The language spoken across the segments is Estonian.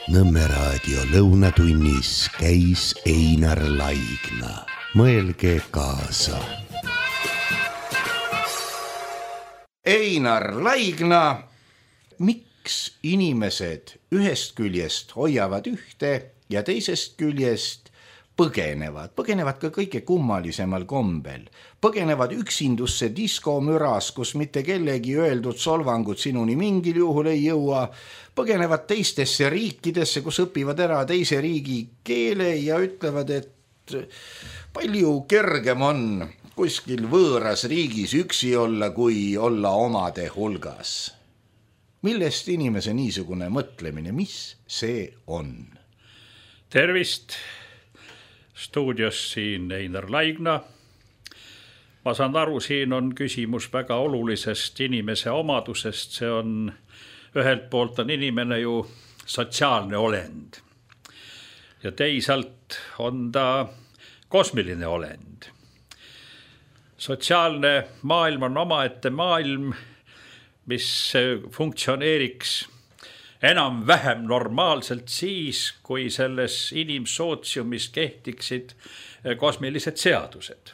Nõmme raadio lõunatunnis käis Einar Laigna. Mõelge kaasa. Einar Laigna, miks inimesed ühest küljest hoiavad ühte ja teisest küljest põgenevad ka kõige kummalisemal kombel. Põgenevad üksindusse diskomüras, kus mitte kellegi öeldud solvangud sinuni mingil juhul ei jõua. Põgenevad teistesse riikidesse, kus õpivad ära teise riigi keele ja ütlevad, et palju kergem on kuskil võõras riigis üksi olla, kui olla omade hulgas. Millest inimese niisugune mõtlemine, mis see on? Tervist! Stuudios siin Einar Laigna. Ma saan aru, siin on küsimus väga olulisest inimese omadusest. See on, ühelt poolt on inimene ju sotsiaalne olend. Ja teisalt on ta kosmiline olend. Sotsiaalne maailm on omaette maailm, mis funktsioneeriks enam-vähem normaalselt siis, kui selles inimsootsiumis kehtiksid kosmilised seadused.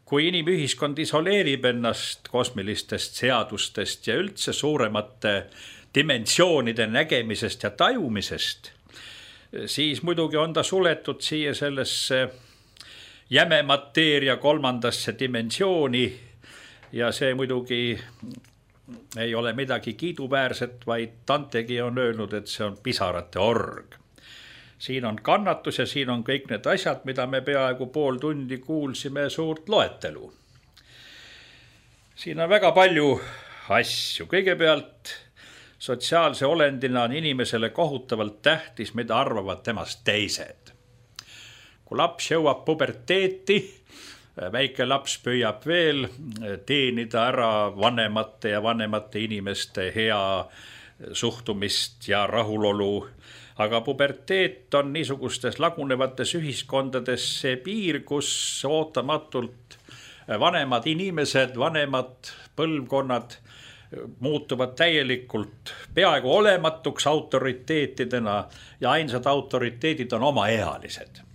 Kui inimühiskond isoleerib ennast kosmilistest seadustest ja üldse suuremate dimensioonide nägemisest ja tajumisest, siis muidugi on ta suletud siia sellesse jäme mateeria kolmandasse dimensiooni ja see muidugi ei ole midagi kiiduväärset, vaid Dantegi on öelnud, et see on pisarate org. Siin on kannatus ja siin on kõik need asjad, mida me peaaegu pool tundi kuulsime suurt loetelu. Siin on väga palju asju. Kõigepealt sotsiaalse olendina on inimesele kohutavalt tähtis, mida arvavad temast teised. Kui laps jõuab puberteeti, väike laps püüab veel teenida ära vanemate ja vanemate inimeste hea suhtumist ja rahulolu. Aga puberteet on niisugustes lagunevates ühiskondades see piir, kus ootamatult vanemad inimesed, vanemad põlvkonnad muutuvad täielikult peaaegu olematuks autoriteetidena ja ainsad autoriteedid on omaealised.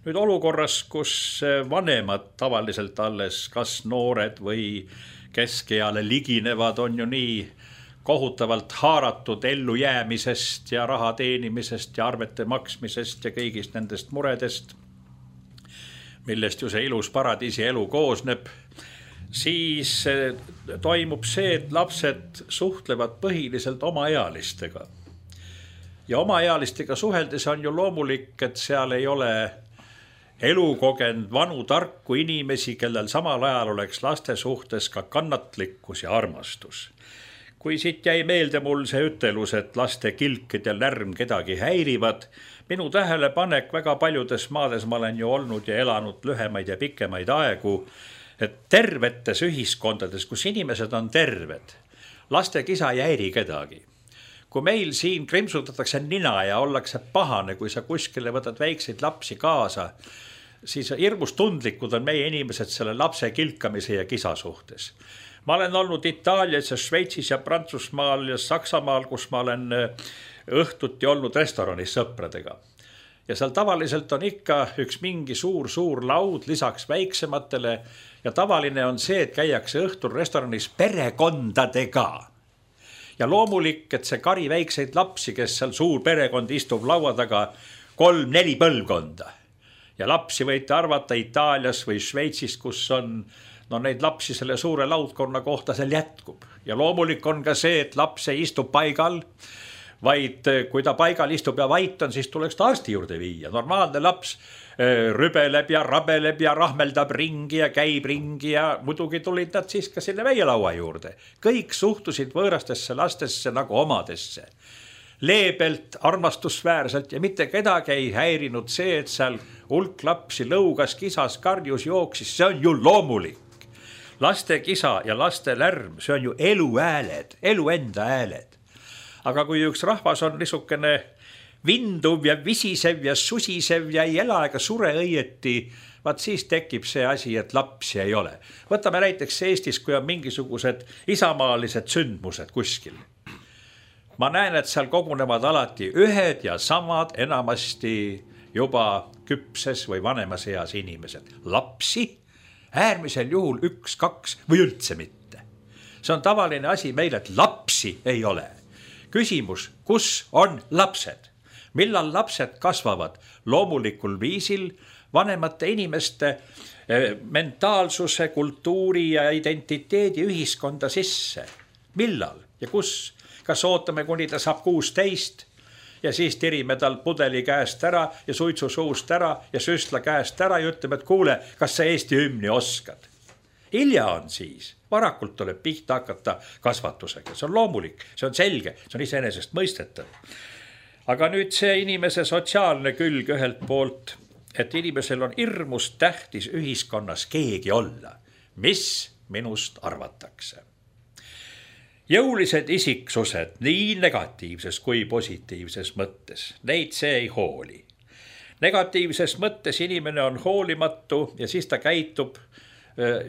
Nüüd olukorras, kus vanemad tavaliselt alles kas noored või keskeale liginevad, on ju nii kohutavalt haaratud ellu jäämisest ja raha teenimisest ja arvete maksmisest ja kõigist nendest muredest, millest ju see ilus paradiisi elu koosneb, siis toimub see, et lapsed suhtlevad põhiliselt omaealistega. Ja omaealistega suheldes on ju loomulik, et seal ei ole elukogenud vanu tarku inimesi, kellel samal ajal oleks laste suhtes ka kannatlikkus ja armastus. Kui siit jäi meelde mul see ütelus, et laste kilkid ja lärm kedagi häirivad, minu tähelepanek väga paljudes maades ma olen ju olnud ja elanud lühemaid ja pikemaid aegu, et tervetes ühiskondades, kus inimesed on terved, laste kisa ei häiri kedagi. Kui meil siin krimsutatakse nina ja ollakse pahane, kui sa kuskile võtad väikseid lapsi kaasa, siis hirmus tundlikud on meie inimesed selle lapse kilkamise ja kisa suhtes. Ma olen olnud Itaalias ja Šveitsis ja Prantsusmaal ja Saksamaal, kus ma olen õhtuti olnud restoranis sõpradega. Ja seal tavaliselt on ikka üks mingi suur laud lisaks väiksematele ja tavaline on see, et käiakse õhtul restoranis perekondadega. Ja loomulik, et see kari väikseid lapsi, kes seal suur perekond istub laua taga 3-4 põlvkonda. Ja lapsi võite arvata Itaalias või Šveitsis, kus on neid lapsi selle suure laudkonna kohta seal jätkub. Ja loomulik on ka see, et laps ei istu paigal, vaid kui ta paigal istub ja vait on, siis tuleks ta arsti juurde viia. Normaalne laps rübeleb ja rabeleb ja rahmeldab ringi ja käib ringi ja muidugi tulid nad siis ka selle väielaua juurde. Kõik suhtusid võõrastesse lastesse nagu omadesse. Leebelt, armastusväärselt ja mitte kedagi ei häirinud see, et seal hulk lapsi lõugas, kisas, karjus, jooksis. See on ju loomulik. Laste kisa ja laste lärm, see on ju elu hääled, elu enda hääled. Aga kui üks rahvas on niisugune vinduv ja visisev ja susisev ja ei ela ega sure õieti, vaat siis tekib see asi, et lapsi ei ole. Võtame näiteks Eestis, kui on mingisugused isamaalised sündmused kuskil. ma näen, et seal kogunevad alati ühed ja samad, enamasti juba küpses või vanemas eas inimesed. Lapsi äärmisel juhul 1, 2 või üldse mitte. See on tavaline asi meil, et lapsi ei ole. Küsimus, kus on lapsed? Millal lapsed kasvavad? Loomulikul viisil vanemate inimeste mentaalsuse, kultuuri ja identiteedi ühiskonda sisse. Millal ja kus? Kas ootame, kuni ta saab 16 ja siis tirime tal pudeli käest ära ja suitsu suust ära ja süstla käest ära ja ütleme, et kuule, kas sa Eesti hümni oskad? Hilja on siis. Varakult tuleb pihta hakata kasvatusega. See on loomulik, see on selge, see on iseenesest mõistetav. Aga nüüd see inimese sotsiaalne külg ühelt poolt, et inimesel on hirmus tähtis ühiskonnas keegi olla. Mis minust arvatakse? Jõulised isiksused nii negatiivses kui positiivses mõttes, neid see ei hooli. Negatiivses mõttes inimene on hoolimatu ja siis ta käitub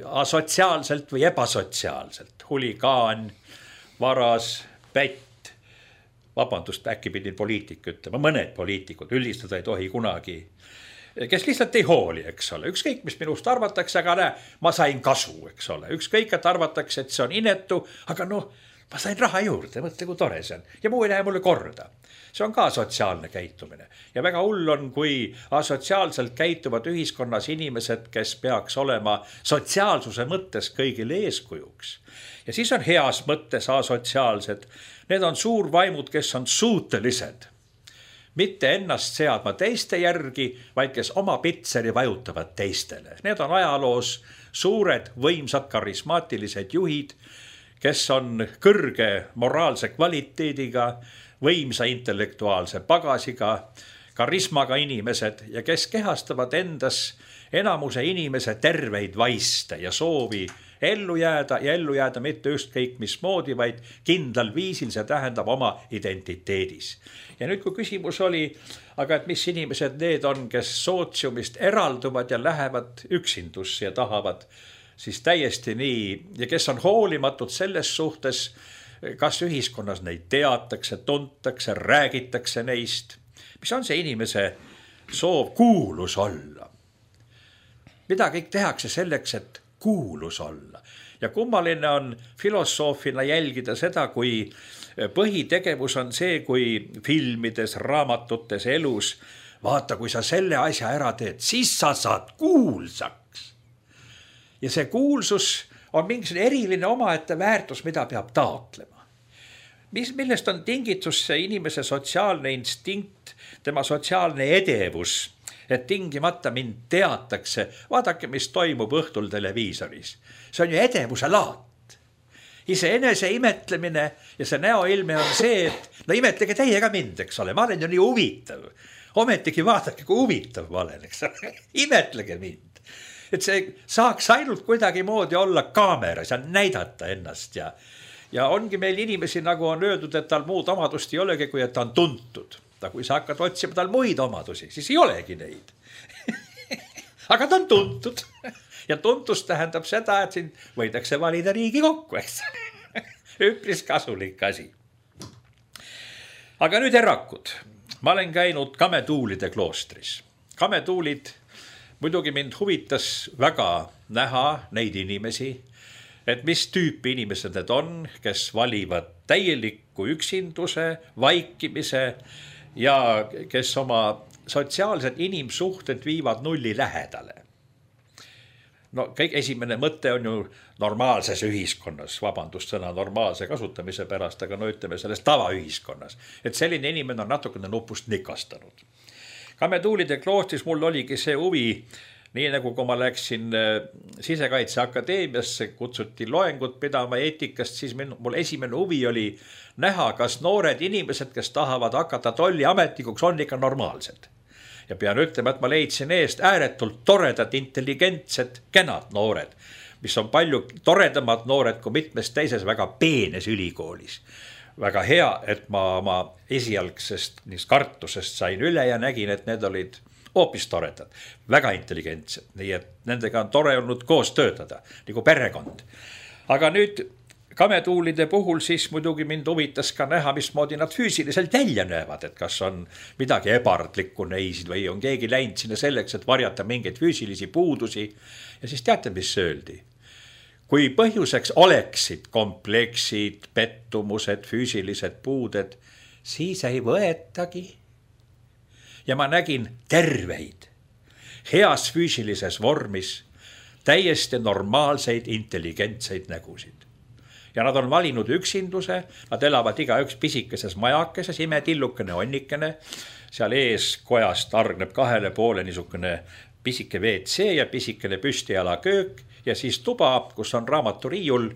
asotsiaalselt või ebasotsiaalselt. Huligaan, varas, pätt, vabandust, äkki pidin poliitik ütlema, mõned poliitikud, üldistada ei tohi kunagi, kes lihtsalt ei hooli, eks ole. Ükskõik, mis minust arvatakse, aga näe, ma sain kasu, eks ole. Ükskõik, et arvatakse, et see on inetu, aga noh, ma sain raha juurde, mõtle, kui tore see on. Ja muu ei lähe mulle korda. See on ka sotsiaalne käitumine. Ja väga hull on, kui asotsiaalselt käituvad ühiskonnas inimesed, kes peaks olema sotsiaalsuse mõttes kõigile eeskujuks. Ja siis on heas mõttes asotsiaalsed. Need on suurvaimud, kes on suutelised mitte ennast seadma teiste järgi, vaid kes oma pitseri vajutavad teistele. Need on ajaloos suured, võimsad, karismaatilised juhid, kes on kõrge moraalse kvaliteediga, võimsa intellektuaalse pagasiga, karismaga inimesed ja kes kehastavad endas enamuse inimese terveid vaiste ja soovi ellu jääda mitte ükskõik mismoodi, vaid kindlal viisil, see tähendab oma identiteedis. Ja nüüd, kui küsimus oli, aga et mis inimesed need on, kes sootsiumist eralduvad ja lähevad üksindusse ja tahavad siis täiesti nii, ja kes on hoolimatud selles suhtes, kas ühiskonnas neid teatakse, tuntakse, räägitakse neist. Mis on see inimese soov? Kuulus olla. Mida kõik tehakse selleks, et kuulus olla? Ja kummaline on filosoofina jälgida seda, kui põhitegevus on see, kui filmides, raamatutes, elus, vaata, kui sa selle asja ära teed, siis sa saad kuulsaks. Ja see kuulsus on mingisugune eriline omaette väärtus, mida peab taotlema. Millest on tingitus see inimese sotsiaalne instinkt, tema sotsiaalne edevus, et tingimata mind teatakse, vaadake, mis toimub õhtul televiisoris. See on ju edevuse laat. Iseenese imetlemine ja see näoilme on see, et no imetlege teie ka mind, eks ole, ma olen ju nii huvitav. Ometigi vaadake, kui huvitav ma olen, eks ole, imetlege mind. Et see saaks ainult kuidagi moodi olla kaameras ja näidata ennast ja ongi meil inimesi, nagu on öeldud, et tal muud omadust ei olegi, kui et ta on tuntud. Kui sa hakkad otsima tal muid omadusi, siis ei olegi neid. Aga ta on tuntud. Ja tuntus tähendab seda, et siin võidakse valida Riigikokku, eks. Üpris kasulik asi. Aga nüüd erakud. Ma olen käinud Kametuulide kloostris. Kametuulid, muidugi mind huvitas väga näha neid inimesi, et mis tüüpi inimesed need on, kes valivad täielikku üksinduse, vaikimise ja kes oma sotsiaalsed inimsuhted viivad nulli lähedale. No kõik esimene mõte on ju normaalses ühiskonnas, vabandust sõna normaalse kasutamise pärast, aga no ütleme selles tavaühiskonnas, et selline inimene on natukene nupust nikastanud. Kametuulide kloostris mul oligi see huvi, nii nagu kui ma läksin Sisekaitseakadeemiasse, kutsuti loengut pidama eetikast, siis mul esimene huvi oli näha, kas noored inimesed, kes tahavad hakata tolliametnikuks, on ikka normaalsed. Ja pean ütlema, et ma leidsin eest ääretult toredad, intelligentsed, kenad noored, mis on palju toredamad noored kui mitmes teises väga peenes ülikoolis. Väga hea, et ma oma esialgsest kartusest sain üle ja nägin, et need olid hoopis toredad, väga intelligentsed, nii et nendega on tore olnud koos töötada, nagu perekond. Aga nüüd, kametuulide puhul siis muidugi mind huvitas ka näha, mismoodi nad füüsiliselt välja näevad, et kas on midagi ebardlikku neis või on keegi läinud sinna selleks, et varjata mingeid füüsilisi puudusi. Ja siis teate, mis öeldi? Kui põhjuseks oleksid kompleksid, pettumused, füüsilised puuded, siis ei võetagi. Ja ma nägin terveid, heas füüsilises vormis, täiesti normaalseid, intelligentseid nägusid. Ja nad on valinud üksinduse, nad elavad igaüks pisikeses majakeses, imetillukene onnikene, seal ees kojast argneb 2 poole niisugune pisike WC ja pisikene püstiala köök ja siis tuba, kus on raamaturiiul,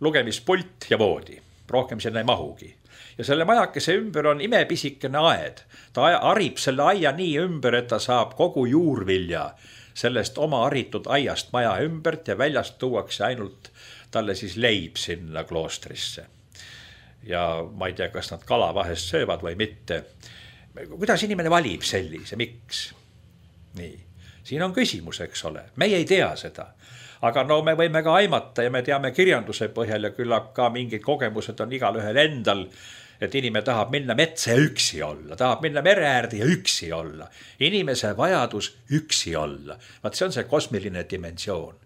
lugemispult ja voodi. Rohkem sinna ei mahugi. Ja selle majakese ümber on imepisikene aed. Ta arib selle aia nii ümber, et ta saab kogu juurvilja sellest oma haritud aiast maja ümbert ja väljast tuuakse ainult talle siis leib sinna kloostrisse. Ja ma ei tea, kas nad kala vahest söövad või mitte. Kuidas inimene valib sellise, miks? Nii, siin on küsimus, eks ole. Meie ei tea seda. Aga no me võime ka aimata ja me teame kirjanduse põhjal ja küllap ka mingid kogemused on igal ühel endal, et inimene tahab minna metsa ja üksi olla, tahab minna mere äärde ja üksi olla. Inimese vajadus üksi olla. Vaat see on see kosmiline dimensioon.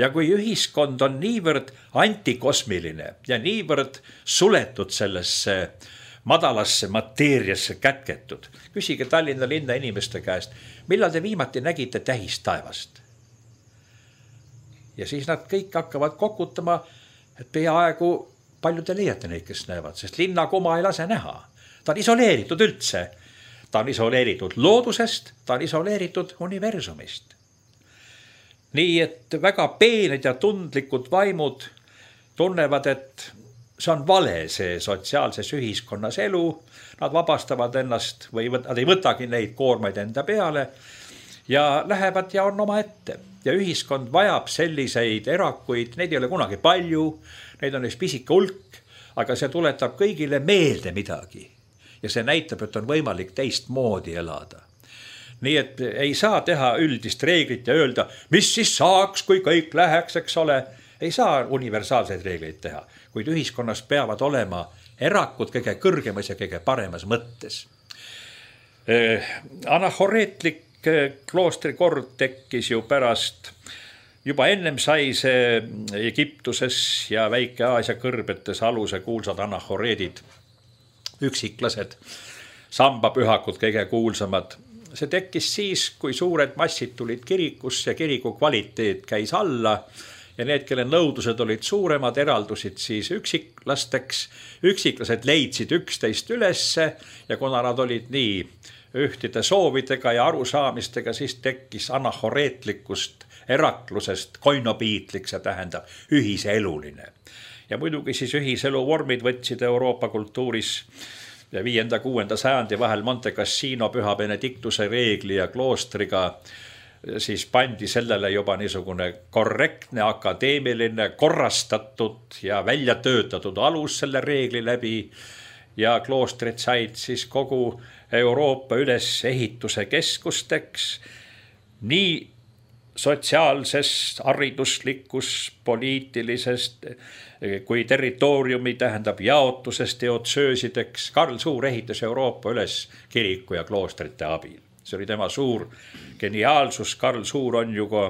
Ja kui ühiskond on niivõrd antikosmiline ja niivõrd suletud sellesse madalasse mateeriasse kätketud, küsige Tallinna linna inimeste käest, millal te viimati nägite tähist taevast? Ja siis nad kõik hakkavad kokutama, et peaaegu palju te leiate neid, kes näevad, sest linna kuma ei lase näha. Ta on isoleeritud üldse. Ta on isoleeritud loodusest, ta on isoleeritud universumist. Nii, et väga peened ja tundlikud vaimud tunnevad, et see on vale see sotsiaalses ühiskonnas elu. Nad vabastavad ennast või nad ei võtagi neid koormaid enda peale ja lähevad ja on oma ette. Ja ühiskond vajab selliseid erakuid, neid ei ole kunagi palju, neid on üks pisike hulk, aga see tuletab kõigile meelde midagi. Ja see näitab, et on võimalik teistmoodi elada. Nii et ei saa teha üldist reeglit ja öelda, mis siis saaks, kui kõik läheks, eks ole. Ei saa universaalseid reegleid teha, kuid ühiskonnas peavad olema erakud kõige kõrgemas ja kõige paremas mõttes. Anahoreetlik kloostrikord tekkis ju pärast, juba ennem sai see Egiptuses ja Väike-Aasia kõrbetes aluse kuulsad anahoreedid, üksiklased, sambapühakud kõige kuulsamad. See tekkis siis, kui suured massid tulid kirikusse ja kiriku kvaliteet käis alla ja need, kelle nõudlused olid suuremad, eraldusid siis üksiklasteks. Üksiklased leidsid üksteist ülesse ja kuna nad olid nii ühtide soovidega ja arusaamistega, siis tekkis anahoreetlikust eraklusest koinopiitlik, see tähendab ühiseluline. Ja muidugi siis ühiselu vormid võtsid Euroopa kultuuris ja 5.–6. sajandi vahel Monte Cassino Püha Benediktuse reegli ja kloostriga siis pandi sellele juba niisugune korrektne, akadeemiline, korrastatud ja välja töötatud alus selle reegli läbi ja kloostrid said siis kogu Euroopa ülesehituse keskusteks nii sotsiaalsest, hariduslikust, poliitilisest kui territooriumi tähendab jaotusest teotsöösideks. Karl Suur ehitas Euroopa üles kiriku ja kloostrite abil. See oli tema suur geniaalsus. Karl Suur on ju ka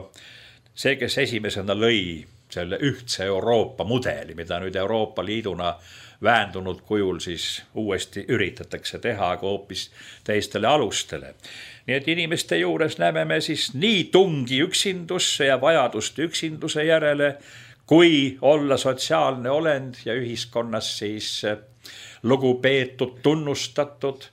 see, kes esimesena lõi selle ühtse Euroopa mudeli, mida nüüd Euroopa Liiduna väändunud kujul siis uuesti üritatakse teha, aga hoopis teistele alustele. Nii et inimeste juures näeme me siis nii tungi üksindusse ja vajadust üksinduse järele, kui olla sotsiaalne olend ja ühiskonnas siis lugupeetud, tunnustatud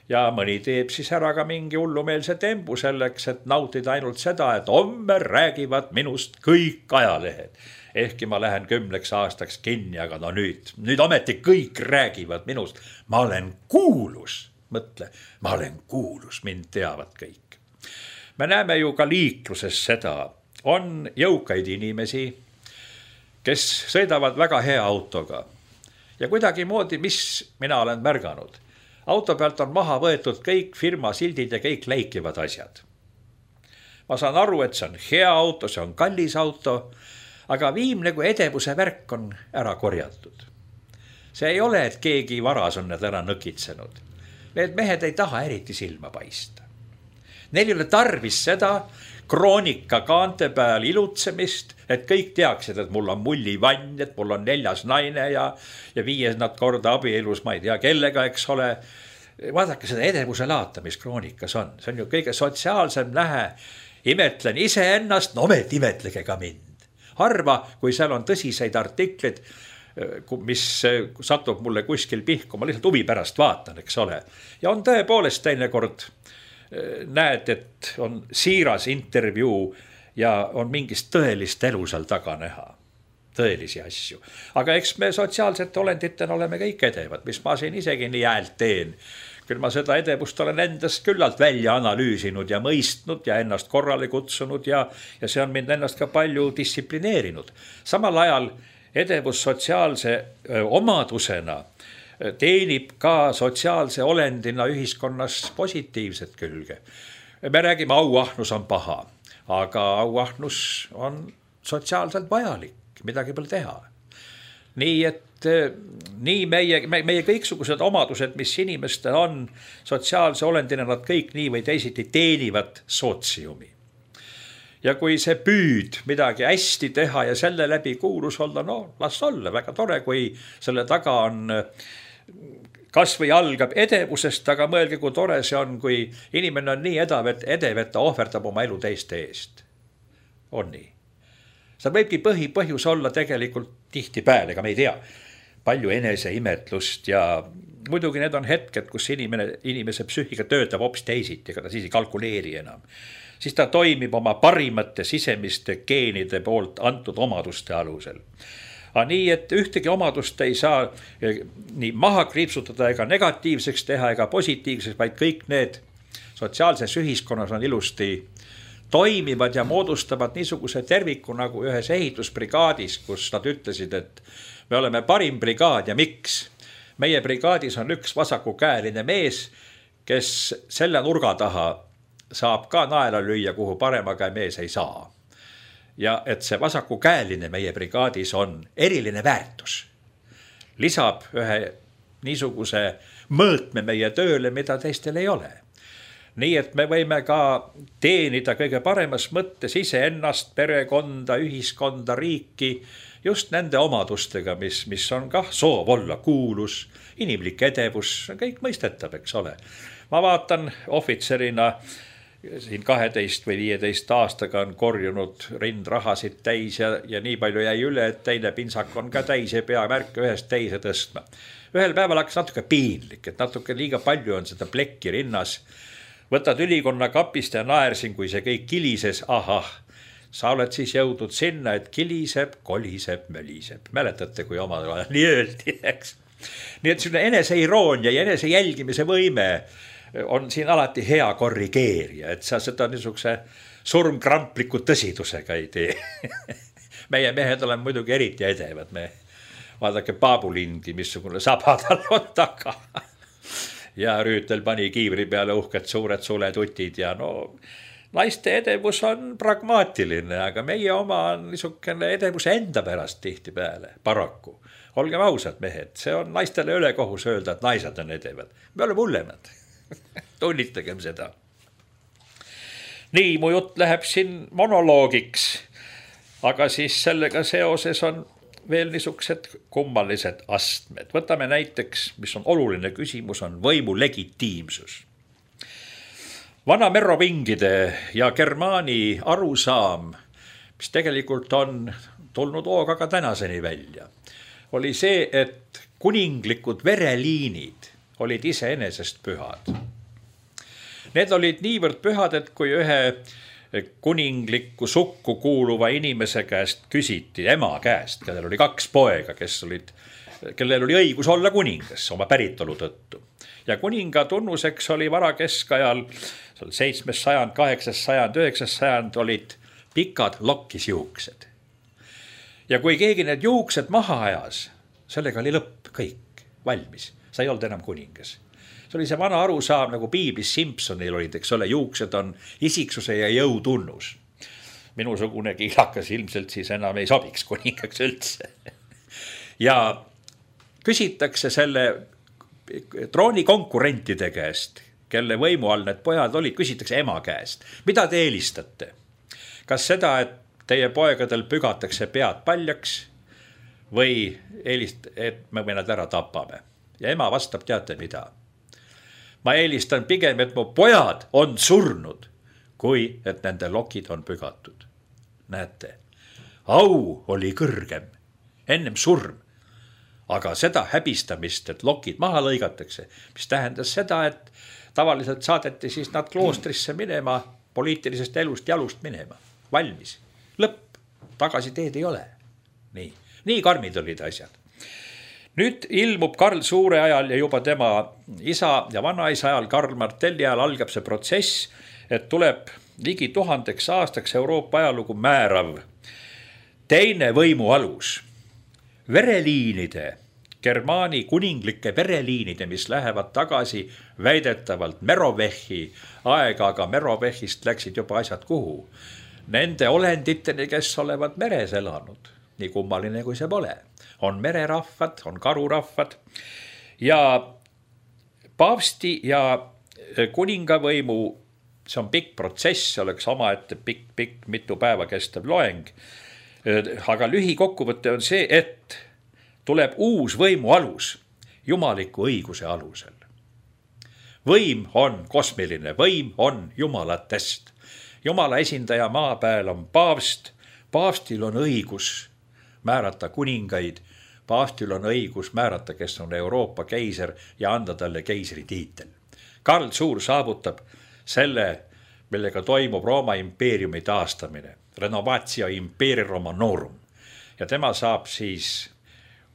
ja mõni teeb siis ära ka mingi hullumeelse tembu selleks, et nautida ainult seda, et homme räägivad minust kõik ajalehed. Ehkki ma lähen 10 aastaks kinni, aga no nüüd ometi kõik räägivad minust. Ma olen kuulus, mõtle, ma olen kuulus, mind teavad kõik. Me näeme ju ka liikluses seda, on jõukaid inimesi, kes sõidavad väga hea autoga. Ja kuidagi moodi, mis mina olen märganud, auto pealt on maha võetud kõik firma sildid ja kõik läikivad asjad. Ma saan aru, et see on hea auto, see on kallis auto, aga viimne kui edevuse värk on ära korjatud. See ei ole, et keegi varas on need ära nõkitsenud. Need mehed ei taha eriti silma paista. Neil ei ole tarvis seda kroonika kaante peal ilutsemist, et kõik teaksid, et mul on mullivann, et mul on 4. naine ja 5. korda abielus, ma ei tea kellega, eks ole. Vaadake seda edevuse laata, mis kroonikas on. See on ju kõige sotsiaalsem lähe. Imetlen iseennast, no imetlege ka mind. Harva, kui seal on tõsiseid artikleid, mis satub mulle kuskil pihku, ma lihtsalt huvi pärast vaatan, eks ole. Ja on tõepoolest teinekord näed, et on siiras intervjuu ja on mingist tõelist elu seal taga näha. Tõelisi asju. Aga eks me sotsiaalsete olenditena oleme kõik edevad, mis ma siin isegi nii häält teen. Küll ma seda edevust olen endast küllalt välja analüüsinud ja mõistnud ja ennast korrale kutsunud ja see on mind ennast ka palju distsiplineerinud. Samal ajal edevus sotsiaalse omadusena teenib ka sotsiaalse olendina ühiskonnas positiivset külge. Me räägime, auahnus on paha, aga auahnus on sotsiaalselt vajalik, midagi pole teha. Nii et nii meie kõiksugused omadused, mis inimestel on sotsiaalse olendina, nad kõik nii või teisiti teenivad sootsiumi. Ja kui see püüd midagi hästi teha ja selle läbi kuulus olla, no las olla, väga tore, kui selle taga on kas või algab edevusest, aga mõelge, kui tore see on, kui inimene on nii edev, et ta ohverdab oma elu teiste eest. On nii. Seal võibki põhjus olla tegelikult tihtipeale, ega me ei tea, palju eneseimetlust ja muidugi need on hetked, kus inimese psüühika töötab hoopis teisiti, ega ta siis ei kalkuleeri enam. Siis ta toimib oma parimate sisemiste geenide poolt antud omaduste alusel. Aga nii, et ühtegi omadust ei saa nii maha kriipsutada ega negatiivseks teha ega positiivseks, vaid kõik need sotsiaalses ühiskonnas on ilusti toimivad ja moodustavad niisuguse terviku nagu ühes ehitusbrigaadis, kus nad ütlesid, et me oleme parim brigaad ja miks? Meie brigaadis on üks vasakukäeline mees, kes selle nurga taha saab ka naela lüüa, kuhu parema käe mees ei saa. Ja et see vasakukäeline meie brigaadis on eriline väärtus. Lisab ühe niisuguse mõõtme meie tööle, mida teistel ei ole. Nii et me võime ka teenida kõige paremas mõttes iseennast, perekonda, ühiskonda, riiki just nende omadustega, mis on kah soov olla kuulus, inimlik edevus, kõik mõistetab, eks ole. Ma vaatan ohvitserina siin 12 või 15 aastaga on korjunud rindrahasid täis ja nii palju jäi üle, et teine pintsak on ka täis ja pea märke ühest teise tõstma. Ühel päeval hakkas natuke piinlik, et natuke liiga palju on seda plekki rinnas. Võtad ülikonna kapist ja naersin, kui see kõik kilises, ahah, sa oled siis jõudnud sinna, et kiliseb, koliseb, möliseb. Mäletate, kui omal ajal nii öeldi, eks? Nii et selline eneseiroonia ja enese jälgimise võime on siin alati hea korrigeerija, et sa seda niisuguse surmkrampliku tõsidusega ei tee. Meie mehed olen muidugi eriti edevad. Me vaadake Paabulindi, missugune sabatal on taga. Ja Rüütel pani kiivri peale uhked suured suletutid ja no naiste edevus on pragmaatiline, aga meie oma on niisugune edevuse enda pärast tihti peale, paraku. Olgem ausad mehed, see on naistele ülekohus öelda, et naised on edevad. Me oleme hullemad. Tunnitagem seda. Nii, mu jutt läheb siin monoloogiks, aga siis sellega seoses on veel niisugused kummalised astmed. Võtame näiteks, mis on oluline küsimus, on võimu legitiimsus. Vana merovingide ja Germaani arusaam, mis tegelikult on tulnud hooga ka tänaseni välja, oli see, et kuninglikud vereliinid olid iseenesest pühad. Need olid niivõrd pühad, et kui ühe kuninglikku sukku kuuluva inimese käest küsiti, ema käest, kellel oli 2 poega, kellel oli õigus olla kuningas oma päritolu tõttu. Ja kuninga tunnuseks oli varakeskajal 7. sajand, 8. sajand, 9. sajand olid pikad lokkis juuksed. Ja kui keegi need juuksed maha ajas, sellega oli lõpp, kõik valmis. Sa ei olnud enam kuningas. See oli see vana arusaam, nagu Piiblis Simpsonil olid, eks ole, juuksed on isiksuse ja jõu tunnus. minusugune kiilakas ilmselt siis enam ei sobiks kuningaks üldse. Ja küsitakse selle troonikonkurentide käest, kelle võimu all need pojad olid, küsitakse ema käest. Mida te eelistate? Kas seda, et teie poegadel pügatakse pead paljaks või et me nad ära tapame? Ja ema vastab, teate mida? Ma eelistan pigem, et mu pojad on surnud, kui et nende lokid on pügatud. Näete, au oli kõrgem, ennem surm. Aga seda häbistamist, et lokid maha lõigatakse, mis tähendas seda, et tavaliselt saadeti siis nad kloostrisse minema, poliitilisest elust jalust minema. Valmis. Lõpp. Tagasi teed ei ole. Nii karmid olid asjad. Nüüd ilmub Karl Suure ajal ja juba tema isa ja vanaisa ajal, Karl Martelli ajal algab see protsess, et tuleb ligi 1000 aastaks Euroopa ajalugu määrav teine võimu alus. Vereliinide, Germaani kuninglike vereliinide, mis lähevad tagasi väidetavalt Merovechi aega, aga Merovechist läksid juba asjad kuhu. Nende olenditeni, kes olevat meres elanud, nii kummaline kui see pole. On mererahvad, on karurahvad ja paavsti ja kuningavõimu, see on pikk protsess, oleks omaette pikk mitu päeva kestev loeng. Aga lühikokkuvõte on see, et tuleb uus võimu alus, jumaliku õiguse alusel. Võim on kosmiline, võim on jumalatest. Jumala esindaja maa peal on paavst, paavstil on õigus määrata kuningaid, paavstil on õigus määrata, kes on Euroopa keiser ja anda talle keisri tiitel. Karl Suur saavutab selle, millega toimub Rooma impeeriumi taastamine, renovatio imperii romanorum. Ja tema saab siis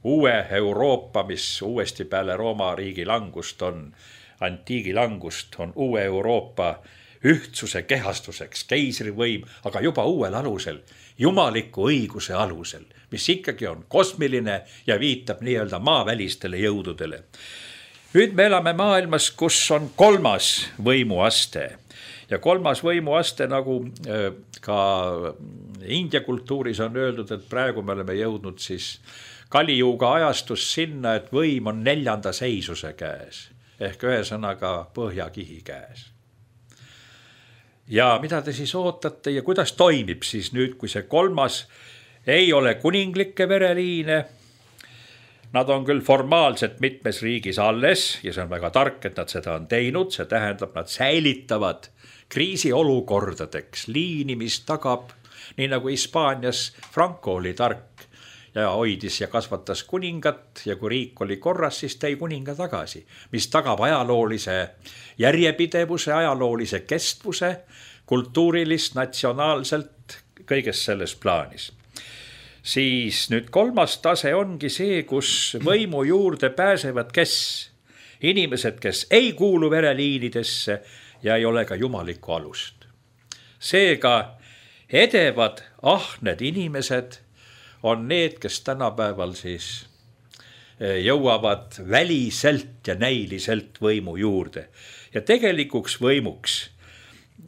uue Euroopa, mis uuesti peale Rooma riigi langust on, antiigi langust on uue Euroopa ühtsuse kehastuseks, keisrivõim, aga juba uuel alusel, jumaliku õiguse alusel, mis ikkagi on kosmiline ja viitab nii-öelda maavälistele jõududele. Nüüd me elame maailmas, kus on 3. võimuaste ja 3. võimuaste, nagu ka India kultuuris on öeldud, et praegu me oleme jõudnud siis Kalijuga ajastus sinna, et võim on 4. seisuse käes ehk ühesõnaga põhjakihi käes. Ja mida te siis ootate ja kuidas toimib siis nüüd, kui see 3. ei ole kuninglikke vereliine? Nad on küll formaalselt mitmes riigis alles ja see on väga tark, et nad seda on teinud. See tähendab, nad säilitavad kriisiolukordadeks liini, mis tagab, nii nagu Hispaanias Franco oli tark ja hoidis ja kasvatas kuningat ja kui riik oli korras, siis tõi kuninga tagasi, mis tagab ajaloolise järjepidevuse, ajaloolise kestvuse, kultuurilist, natsionaalselt, kõiges selles plaanis. Siis nüüd 3. tase ongi see, kus võimu juurde pääsevad kes? Inimesed, kes ei kuulu vereliinidesse ja ei ole ka jumalikku alust. Seega edevad ahned inimesed on need, kes tänapäeval siis jõuavad väliselt ja näiliselt võimu juurde. Ja tegelikuks võimuks,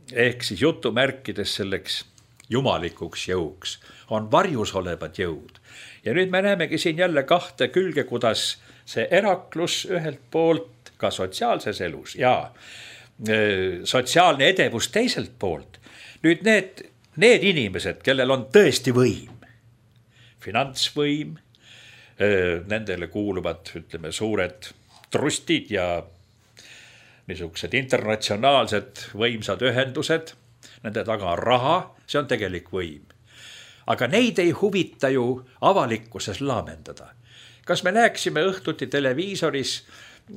ehk siis jutumärkides selleks jumalikuks jõuks, on varjus olevad jõud. Ja nüüd me näemegi siin jälle 2 külge, kuidas see eraklus ühelt poolt ka sotsiaalses elus ja sotsiaalne edevus teiselt poolt. Nüüd need inimesed, kellel on tõesti võim, finantsvõim, nendele kuuluvad, ütleme, suured trustid ja niisugused internatsionaalsed võimsad ühendused, nende taga on raha, see on tegelik võim. Aga neid ei huvita ju avalikkuses laamendada. Kas me näeksime õhtuti televiisoris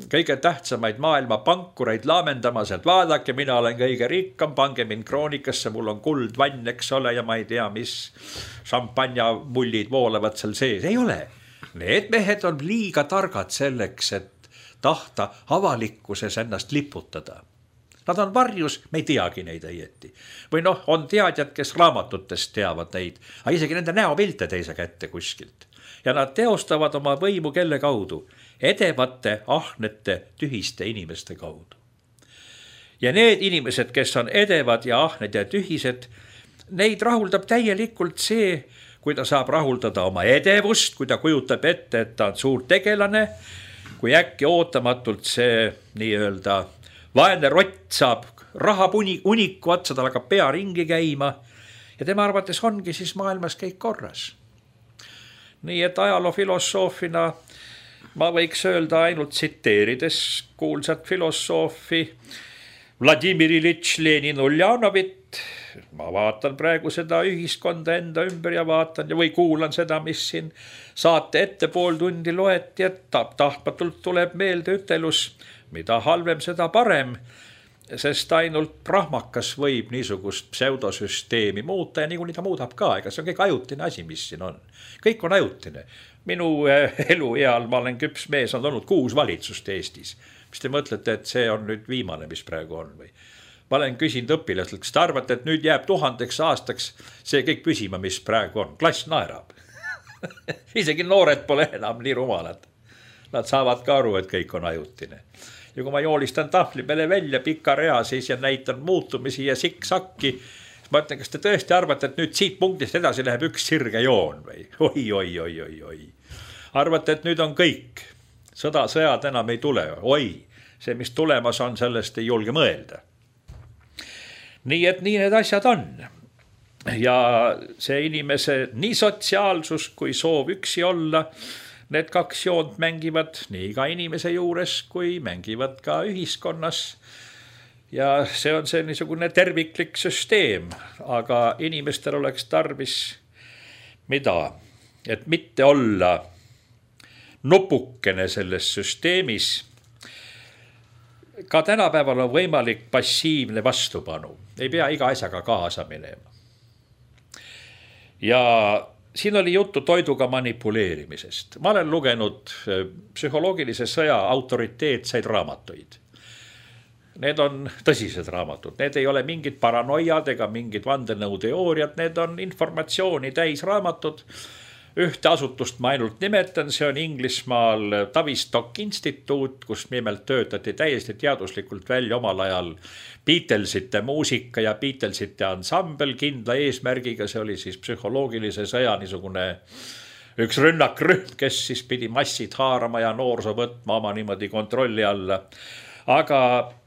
kõige tähtsamaid maailma pankureid laamendamas, et vaadake, mina olen kõige rikkam, pange mind kroonikasse, mul on kuldvann, eks ole, ja ma ei tea, mis šampanjamullid voolavad seal sees. Ei ole. Need mehed on liiga targad selleks, et tahta avalikkuses ennast liputada. Nad on varjus, me ei teagi neid õieti. Või on teadjad, kes raamatutest teavad neid, aga isegi nende näopilte teise kätte kuskilt. Ja nad teostavad oma võimu kelle kaudu? Edevate, ahnete, tühiste inimeste kaudu. Ja need inimesed, kes on edevad ja ahned ja tühised, neid rahuldab täielikult see, kui ta saab rahuldada oma edevust, kui ta kujutab ette, et ta on suur tegelane, kui äkki ootamatult see nii-öelda vaene rott saab rahapuniku otsa, tal hakkab pea ringi käima ja tema arvates ongi siis maailmas kõik korras. Nii et ajaloofilosoofina ma võiks öelda ainult tsiteerides kuulsat filosoofi Vladimir Iljitš Lenin Uljanovit. Ma vaatan praegu seda ühiskonda enda ümber ja vaatan või kuulan seda, mis siin saate ette pool tundi loeti, et tahtmatult tuleb meelde ütelus, mida halvem, seda parem, sest ainult prahmakas võib niisugust pseudosüsteemi muuta ja niikuinii ta muudab ka, ega see on kõik ajutine asi, mis siin on. Kõik on ajutine. Minu elueal ma olen küps mees, on olnud 6 valitsust Eestis. Mis te mõtlete, et see on nüüd viimane, mis praegu on või? Ma olen küsinud õpilastelt, kas te arvate, et nüüd jääb 1000 aastaks see kõik püsima, mis praegu on. Klass naerab. Isegi noored pole enam nii rumalad. Nad saavad ka aru, et kõik on ajutine. Ja kui ma joolistan tahvli peale välja pika rea siis ja näitan muutumisi ja siksakki, ma ütlen, kas te tõesti arvate, et nüüd siit punktist edasi läheb üks sirge joon või? Oi. Arvate, et nüüd on kõik. Sõjad enam ei tule. Oi, see, mis tulemas on, sellest ei julge mõelda. Nii et nii need asjad on. Ja see inimese nii sotsiaalsus kui soov üksi olla, need 2 joont mängivad nii ka inimese juures, kui mängivad ka ühiskonnas. Ja see on see niisugune terviklik süsteem, aga inimestel oleks tarvis mida? Et mitte olla nupukene selles süsteemis. Ka tänapäeval on võimalik passiivne vastupanu. Ei pea iga asjaga kaasa minema. Ja siin oli juttu toiduga manipuleerimisest. Ma olen lugenud psühholoogilise sõja autoriteetseid raamatuid. Need on tõsised raamatud. Need ei ole mingid paranoiad ega mingid vandenõuteooriad. Need on informatsiooni täis raamatud. Ühte asutust ma ainult nimetan, see on Inglismaal Tavistock instituut, kus nimelt töötati täiesti teaduslikult välja omal ajal Beatlesite muusika ja Beatlesite ansambel kindla eesmärgiga. See oli siis psühholoogilise sõja niisugune üks rünnakrühm, kes siis pidi massid haarama ja noorsoo võtma oma niimoodi kontrolli alla. Aga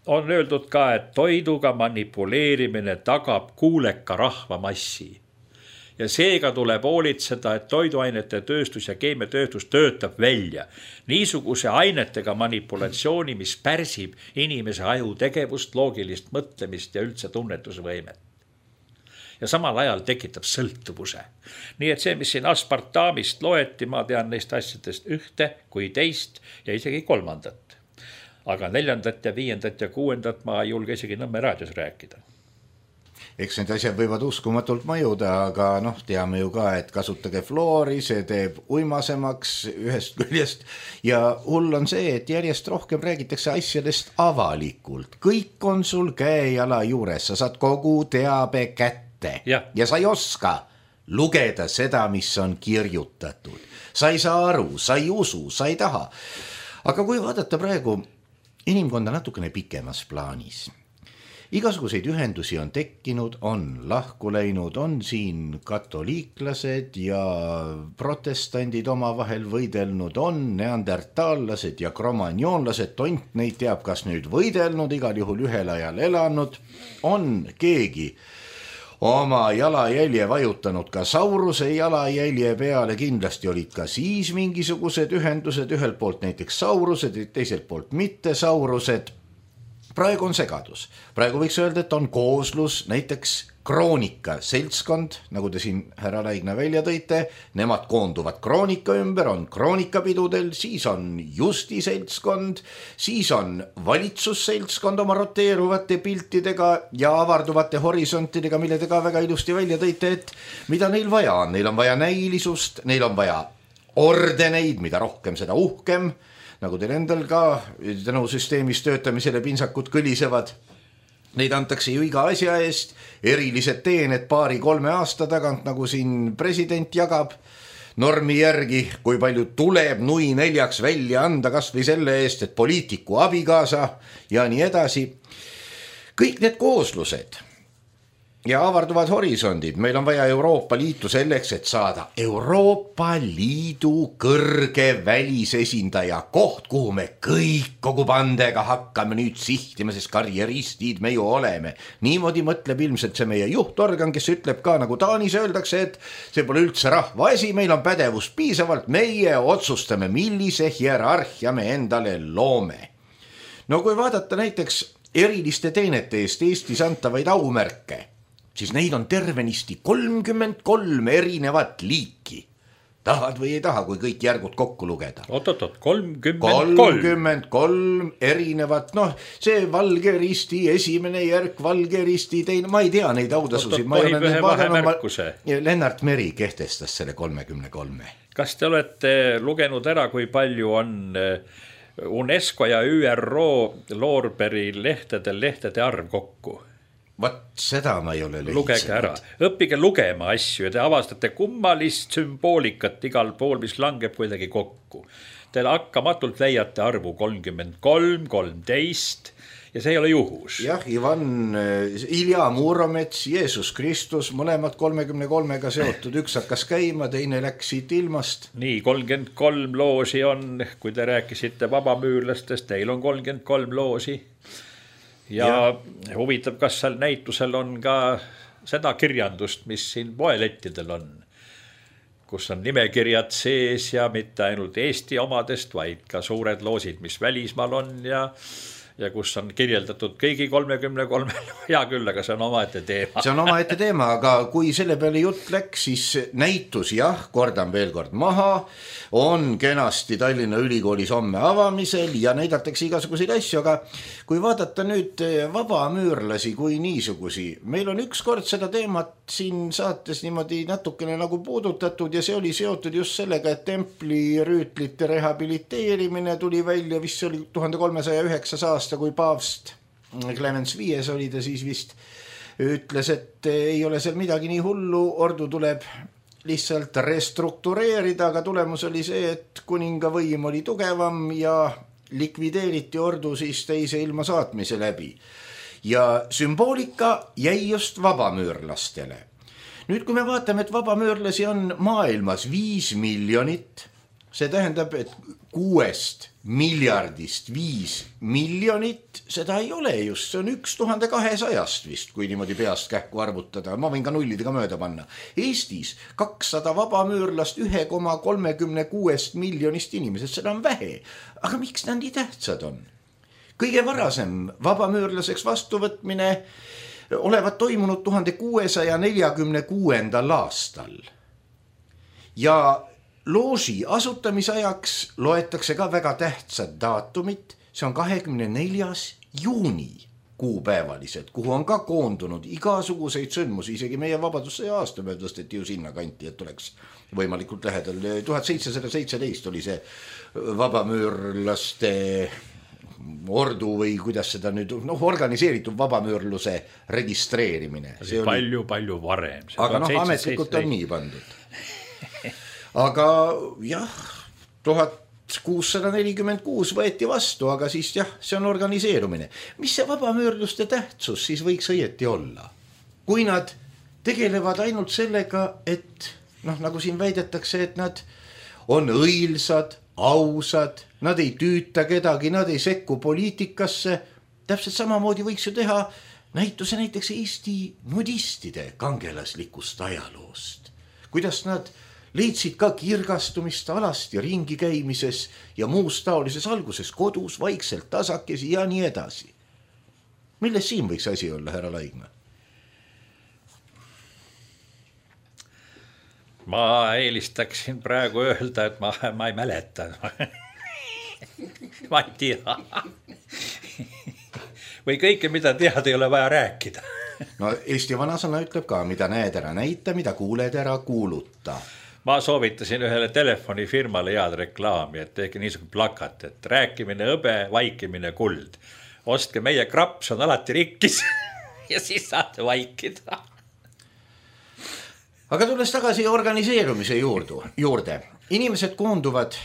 on öeldud ka, et toiduga manipuleerimine tagab kuuleka rahvamassi. Ja seega tuleb hoolitseda, et toiduainete tööstus ja keemiatööstus töötab välja niisuguse ainetega manipulatsiooni, mis pärsib inimese aju tegevust, loogilist mõtlemist ja üldse tunnetusvõimet. Ja samal ajal tekitab sõltuvuse. Nii et see, mis siin aspartamist loeti, ma tean neist asjadest ühte kui teist ja isegi 3. Aga 4. ja 5. ja 6. ma ei julge isegi Nõmme raadios rääkida. Eks need asjad võivad uskumatult mõjuda, aga teame ju ka, et kasutage fluori, see teeb uimasemaks ühest küljest ja hull on see, et järjest rohkem räägitakse asjadest avalikult. Kõik on sul käe-jala juures, sa saad kogu teabe kätte ja sa ei oska lugeda seda, mis on kirjutatud. Sa ei saa aru, sa ei usu, sa ei taha. Aga kui vaadata praegu inimkonda natukene pikemas plaanis, igasuguseid ühendusi on tekkinud, on lahku läinud, on siin katoliiklased ja protestandid omavahel võidelnud, on neandertaallased ja kromanjoonlased, tont neid teab, kas nüüd võidelnud, igal juhul ühel ajal elanud, on keegi oma jalajälje vajutanud ka Sauruse jalajälje peale, kindlasti olid ka siis mingisugused ühendused, ühelt poolt näiteks Saurused, teiselt poolt mitte Saurused. Praegu on segadus. Praegu võiks öelda, et on kooslus, näiteks Kroonika seltskond, nagu te siin härra Laigna välja tõite, nemad koonduvad Kroonika ümber, on kroonikapidudel, siis on Justi seltskond, siis on valitsusseltskond oma roteeruvate piltidega ja avarduvate horisontidega, mille te ka väga ilusti välja tõite, et mida neil vaja on. Neil on vaja näilisust, neil on vaja ordeneid, mida rohkem, seda uhkem, nagu teil endal ka tänu süsteemis töötamisele pinsakud kõlisevad. Neid antakse ju iga asja eest, erilised teened 2-3 aasta tagant, nagu siin president jagab normi järgi, kui palju tuleb nui 4 välja anda kas või selle eest, et poliitiku abikaasa ja nii edasi. Kõik need kooslused ja avarduvad horisondid, meil on vaja Euroopa Liitu selleks, et saada Euroopa Liidu kõrge välisesindaja koht, kuhu me kõik kogu pandega hakkame nüüd sihtima, sest karjeristid me ju oleme. Niimoodi mõtleb ilmselt see meie juhtorgan, kes ütleb ka, nagu Taanis öeldakse, et see pole üldse rahva asi, meil on pädevust piisavalt, meie otsustame, millise hierarhia me endale loome. No kui vaadata näiteks eriliste teenete eest Eestis antavaid aumärke, siis neid on tervenisti 33 erinevat liiki. Tahad või ei taha, kui kõik järgud kokku lugeda? Oot, 33 erinevat, noh, see Valge Risti esimene järk, Valge Risti teine, ma ei tea neid autasusid. Tohib ühe vahemärkuse. Lennart Meri kehtestas selle 33. Kas te olete lugenud ära, kui palju on UNESCO ja ÜRO Loorberi lehtede arv kokku? Vat seda ma ei ole lehitsenud. Lugege ära, õppige lugema asju ja te avastate kummalist sümboolikat igal pool, mis langeb kuidagi kokku. Te hakkamatult leiate arvu 33, 13 ja see ei ole juhus. Jah, Ilja Muromets, Jeesus Kristus, mõlemad 33-ga seotud, üks hakkas käima, teine läks siit ilmast. Nii, 33 loosi on, kui te rääkisite vabamüürlastest, teil on 33 loosi. Ja huvitab, kas seal näitusel on ka seda kirjandust, mis siin poelettidel on, kus on nimekirjad sees ja mitte ainult Eesti omadest, vaid ka suured loosid, mis välismaal on ja kus on kirjeldatud kõigi 33, hea küll, aga see on omaette teema. See on omaette teema, aga kui selle peale jutt läks, siis näitus, jah, kordan veel kord maha, on kenasti Tallinna Ülikoolis homme avamisel ja näidatakse igasuguseid asju, aga kui vaadata nüüd vabamüürlasi kui niisugusi, meil on ükskord seda teemat siin saates niimoodi natukene nagu puudutatud ja see oli seotud just sellega, et templirüütlite rehabiliteerimine tuli välja, vist see oli 1309 aasta, kui paavst Clemens V oli ta siis vist, ütles, et ei ole seal midagi nii hullu, ordu tuleb lihtsalt restruktureerida, aga tulemus oli see, et kuninga võim oli tugevam ja likvideeriti ordu siis teise ilma saatmise läbi. Ja sümboolika jäi just vabamüürlastele. Nüüd, kui me vaatame, et vabamüürlasi on maailmas 5 miljonit, see tähendab, et 6 miljardist 5 miljonit, seda ei ole just, see on 1200 vist, kui niimoodi peast kähku arvutada, ma võin ka nullidega mööda panna. Eestis 200 vabamüürlast 1,36 miljonist inimesest, seda on vähe, aga miks nad nii tähtsad on? Kõige varasem vabamüürlaseks vastuvõtmine olevat toimunud 1646. aastal ja looži asutamisajaks loetakse ka väga tähtsad daatumit, see on 24. juuni kuupäevaliselt, kuhu on ka koondunud igasuguseid sündmusi, isegi meie vabadussõja aastapäev tõsteti ju sinna kanti, et oleks võimalikult lähedal. 1717 oli see vabamüürlaste ordu või kuidas seda nüüd, organiseeritud vabamüürluse registreerimine. See oli palju varem. Aga ametlikult on nii pandud. Aga jah, 1646 võeti vastu, aga siis jah, see on organiseerumine. Mis see vabamüürluste tähtsus siis võiks õieti olla? Kui nad tegelevad ainult sellega, et nagu siin väidetakse, et nad on õilsad, ausad, nad ei tüüta kedagi, nad ei sekku poliitikasse, täpselt samamoodi võiks ju teha näituse näiteks Eesti nudistide kangelaslikust ajaloost. Kuidas nad leidsid ka kirgastumist alasti ringi käimises ja muus taolises alguses kodus, vaikselt tasakesi ja nii edasi. Milles siin võiks asi olla, härra Laigma? Ma eelistaksin praegu öelda, et ma ei mäleta. Ma ei tea. Või kõike, mida tead, ei ole vaja rääkida. No Eesti vanasõna ütleb ka, mida näed ära näita, mida kuuled ära kuuluta. Ma soovitasin ühele telefonifirmale head reklaami, et tehke niisugune plakat, et rääkimine hõbe, vaikimine kuld. Ostke meie kraps on alati rikkis ja siis saate vaikida. Aga tulles tagasi organiseerumise juurde. Inimesed koonduvad,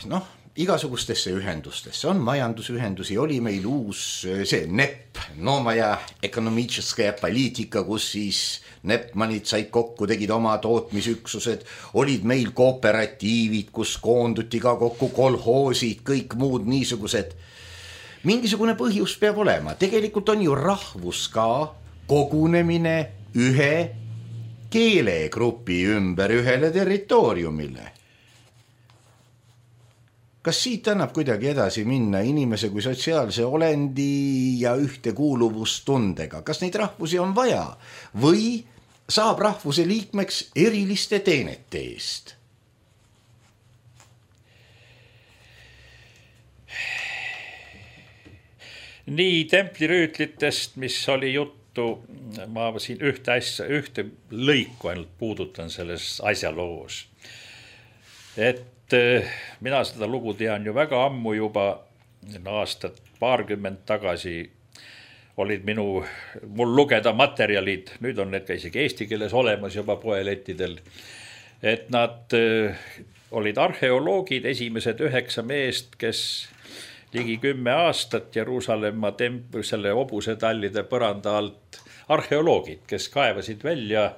igasugustesse ühendustesse, on majandusühendusi, oli meil uus see NEP, Novaja Ekonomiическая poliitika, kus siis nepmanid said kokku, tegid oma tootmisüksused, olid meil kooperatiivid, kus koonduti ka kokku kolhoosid, kõik muud niisugused. Mingisugune põhjus peab olema, tegelikult on ju rahvus ka kogunemine ühe keelegrupi ümber ühele territooriumile. Kas siit annab kuidagi edasi minna inimese kui sotsiaalse olendi ja ühtekuuluvustundega? Kas neid rahvusi on vaja või saab rahvuse liikmeks eriliste teenete eest? Nii templirüütlitest, mis oli juttu, ma siin ühte lõiku ainult puudutan selles asjaloos. Et mina seda lugu tean ju väga ammu juba, aastat paarkümmend tagasi olid mul lugeda materjalid, nüüd on need ka isegi eesti keeles olemas juba poelettidel, et nad olid arheoloogid, esimesed 9 meest, kes ligi 10 aastat Jeruusalemma selle hobusetallide põranda alt arheoloogid, kes kaevasid välja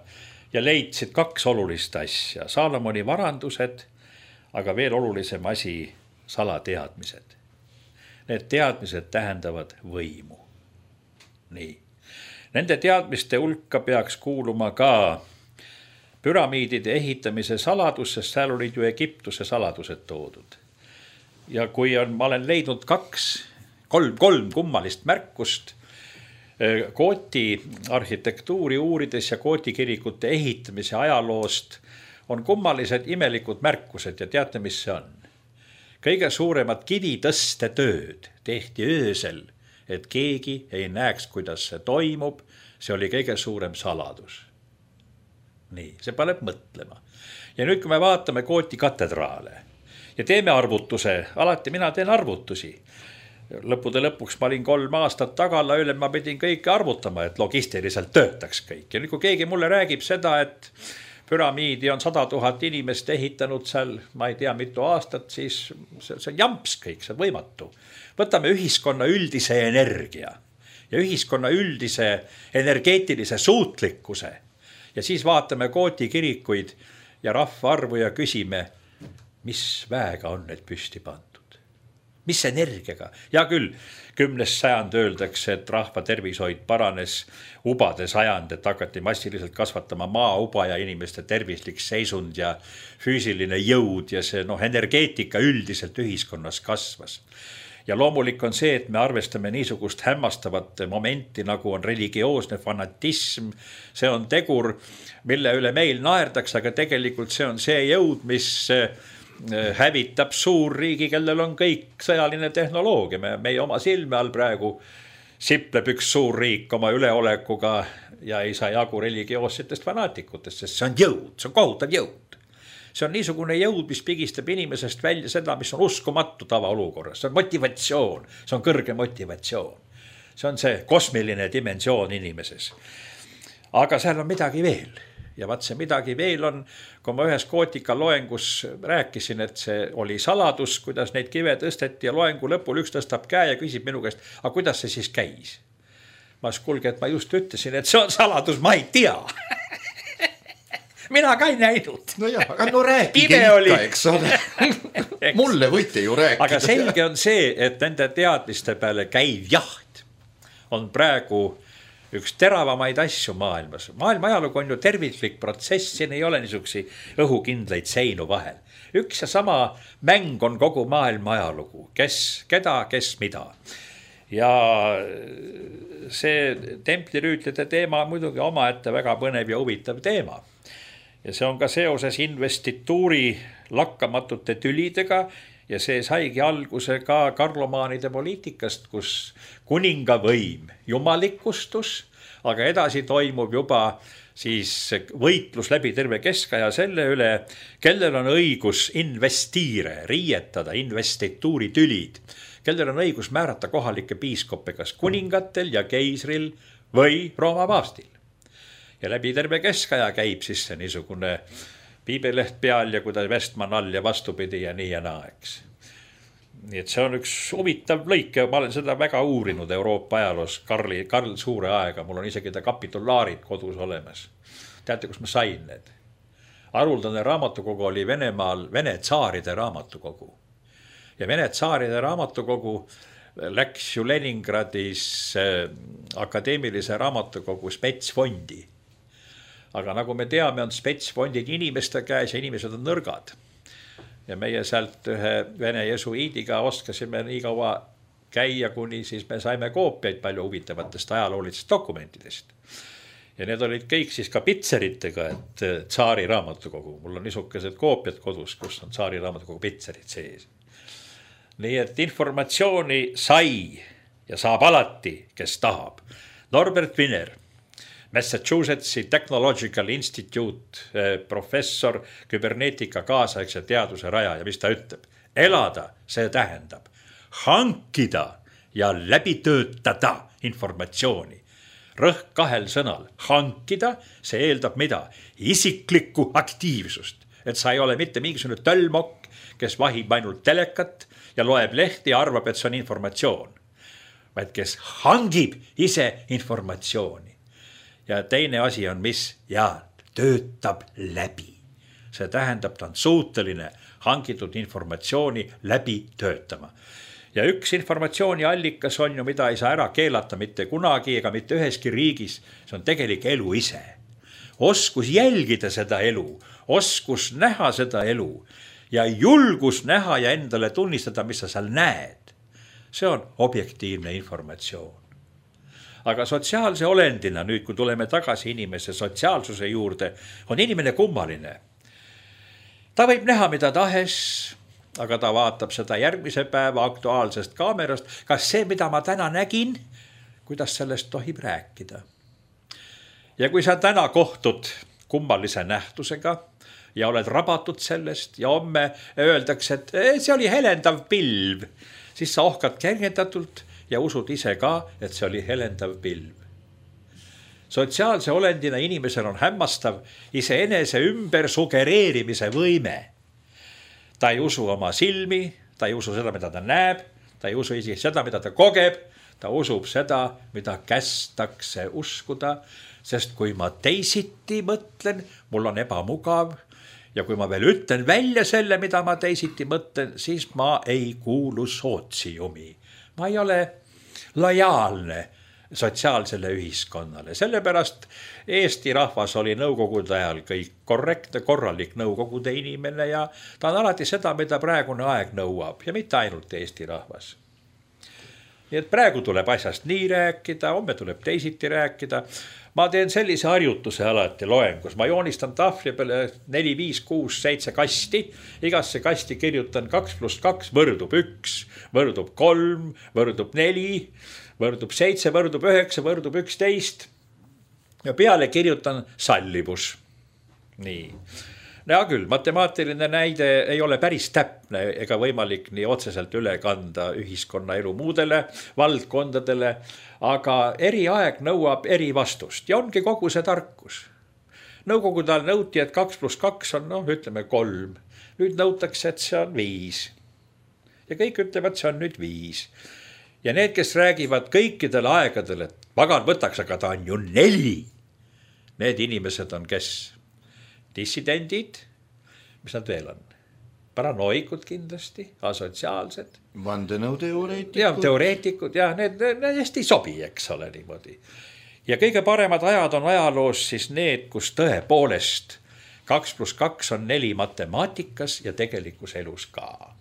ja leidsid 2 olulist asja, Saalomoni varandused, aga veel olulisem asi, salateadmised. Need teadmised tähendavad võimu. Nii. Nende teadmiste hulka peaks kuuluma ka püramiidide ehitamise saladus, sest seal olid ju Egiptuse saladused toodud. Ja kui ma olen leidnud 3 kummalist märkust Kooti arhitektuuri uurides ja Kooti kirikute ehitamise ajaloost, on kummalised imelikud märkused ja teate, mis see on? Kõige suuremad kivitõste tööd tehti öösel, et keegi ei näeks, kuidas see toimub. See oli kõige suurem saladus. Nii, see paneb mõtlema. Ja nüüd, kui me vaatame Kooti katedraale ja teeme arvutuse, alati mina teen arvutusi. Lõppude lõpuks ma olin 3 aastat tagala üle, ma pidin kõike arvutama, et logistiliselt töötaks kõik. Ja nüüd, kui keegi mulle räägib seda, et püramiidi on 100 000 inimest ehitanud seal, ma ei tea mitu aastat, siis see on jamps kõik, see on võimatu. Võtame ühiskonna üldise energia ja ühiskonna üldise energeetilise suutlikkuse ja siis vaatame Kooti kirikuid ja rahvaarvu ja küsime, mis väega on need püsti pandud. Mis energiaga? Ja küll, 10. sajand öeldakse, et rahva tervishoid paranes, ubade sajand, et hakati massiliselt kasvatama maauba ja inimeste tervislik seisund ja füüsiline jõud ja see energeetika üldiselt ühiskonnas kasvas. Ja loomulik on see, et me arvestame niisugust hämmastavat momenti, nagu on religioosne fanatism. See on tegur, mille üle meil naerdaks, aga tegelikult see on see jõud, mis hävitab suurriigi, kellel on kõik sõjaline tehnoloogia. Meie oma silme all praegu sipleb üks suurriik oma üleolekuga ja ei saa jagu religioossetest fanaatikutest, sest see on jõud, see on kohutav jõud. See on niisugune jõud, mis pigistab inimesest välja seda, mis on uskumatu tavaolukorras. See on motivatsioon, see on kõrge motivatsioon. See on see kosmiline dimensioon inimeses. Aga seal on midagi veel. Ja vaat see midagi veel on, kui ma ühes Kootika loengus rääkisin, et see oli saladus, kuidas neid kive tõsteti ja loengu lõpul üks tõstab käe ja küsib minu käest, aga kuidas see siis käis? Ma kuulge, et ma just ütlesin, et see on saladus, ma ei tea. Mina ka ei näinud. No jah, aga rääkige ikka, eks ole. Mulle võite ju rääkida. Aga selge on see, et nende teadmiste peale käiv jaht on praegu üks teravamaid asju maailmas. Maailma ajalugu on ju terviklik protsess, siin ei ole niisugusi õhukindlaid seinu vahel. Üks ja sama mäng on kogu maailma ajalugu, keda, kes mida. Ja see templirüütlite teema on muidugi omaette väga põnev ja huvitav teema. Ja see on ka seoses investituuri lakkamatute tülidega ja see saigi alguse ka karlomaanide poliitikast, kus kuninga võim jumalikustus, aga edasi toimub juba siis võitlus läbi terve keskaja selle üle, kellel on õigus investiire, riietada, investituuri tülid, kellel on õigus määrata kohalikke piiskoppe kas kuningatel ja keisril või Rooma paavstil. Ja läbi terve keskaja käib siis see niisugune piibeleht peal ja kuidas Vestman all ja vastupidi ja nii ja naa, eks. nii et see on üks huvitav lõik ja ma olen seda väga uurinud Euroopa ajaloos Karl Suure aega, mul on isegi ta kapitulaarid kodus olemas. Teate, kus ma sain need? Haruldane raamatukogu oli Venemaal Vene tsaaride raamatukogu. Ja Vene tsaaride raamatukogu läks ju Leningradis akadeemilise raamatukogu spetsfondi. Aga nagu me teame, on spetsfondid inimeste käes ja inimesed on nõrgad. Ja meie sealt ühe vene jesuiidiga oskasime nii kaua käia, kuni siis me saime koopiaid palju huvitavatest ajaloolistest dokumentidest. Ja need olid kõik siis ka pitseritega, et tsaari raamatukogu. Mul on niisugused koopiad kodus, kus on tsaari raamatukogu pitserid sees. Nii et informatsiooni sai ja saab alati, kes tahab. Norbert Wiener, Massachusettsi Technological Institute professor, küberneetika kaasaegse teaduse raja ja mis ta ütleb? Elada, see tähendab hankida ja läbi töötada informatsiooni. Rõhk 2 sõnal. Hankida, see eeldab mida? Isiklikku aktiivsust. Et sa ei ole mitte mingisugune tölmokk, kes vahib ainult telekat ja loeb lehti ja arvab, et see on informatsioon. Vaid kes hangib ise informatsiooni. Ja teine asi on mis? Ja töötab läbi. See tähendab, ta on suuteline hangitud informatsiooni läbi töötama. Ja üks informatsiooni allikas on ju, mida ei saa ära keelata mitte kunagi ega mitte üheski riigis. See on tegelik elu ise. Oskus jälgida seda elu, oskus näha seda elu ja julgus näha ja endale tunnistada, mis sa seal näed. See on objektiivne informatsioon. Aga sotsiaalse olendina, nüüd kui tuleme tagasi inimese sotsiaalsuse juurde, on inimene kummaline. Ta võib näha mida tahes, aga ta vaatab seda järgmise päeva aktuaalsest kaamerast. Kas see, mida ma täna nägin, kuidas sellest tohib rääkida? Ja kui sa täna kohtud kummalise nähtusega ja oled rabatud sellest ja homme öeldakse, et see oli helendav pilv, siis sa ohkad kergendatult ja usud ise ka, et see oli helendav pilv. Sotsiaalse olendina inimesel on hämmastav iseenese ümber sugereerimise võime. Ta ei usu oma silmi, ta ei usu seda, mida ta näeb, ta ei usu isegi seda, mida ta kogeb, ta usub seda, mida kästakse uskuda, sest kui ma teisiti mõtlen, mul on ebamugav ja kui ma veel ütlen välja selle, mida ma teisiti mõtlen, siis ma ei kuulu sootsiumi. Ma ei ole lojaalne sotsiaalsele ühiskonnale. Sellepärast Eesti rahvas oli nõukogude ajal kõik korrektne, korralik nõukogude inimene ja ta on alati seda, mida praegune aeg nõuab ja mitte ainult Eesti rahvas. Nii et praegu tuleb asjast nii rääkida, homme tuleb teisiti rääkida. Ma teen sellise harjutuse alati loengus. Ma joonistan tahvli peale 4, 5, 6, 7 kasti. Igasse kasti kirjutan 2 + 2 võrdub 1, võrdub 3, võrdub 4, võrdub 7, võrdub 9, võrdub 11. Ja peale kirjutan sallivus. Nii. Ja küll, matemaatiline näide ei ole päris täpne ega võimalik nii otseselt üle kanda ühiskonna elu muudele valdkondadele, aga eri aeg nõuab eri vastust ja ongi kogu see tarkus. Nõukogude ajal nõuti, et 2 + 2 on, ütleme 3. Nüüd nõutakse, et see on 5. Ja kõik ütlevad, see on nüüd 5. Ja need, kes räägivad kõikidel aegadel, et pagan võtaks, aga ta on ju 4. Need inimesed on kes? Dissidendid, mis nad veel on? Paranoikud kindlasti, asotsiaalsed. Vandenõuteoreetikud. Ja teoreetikud, ja need hästi ei sobi, eks ole niimoodi. Ja kõige paremad ajad on ajaloos siis need, kus tõepoolest 2 + 2 on 4 matemaatikas ja tegelikus elus ka.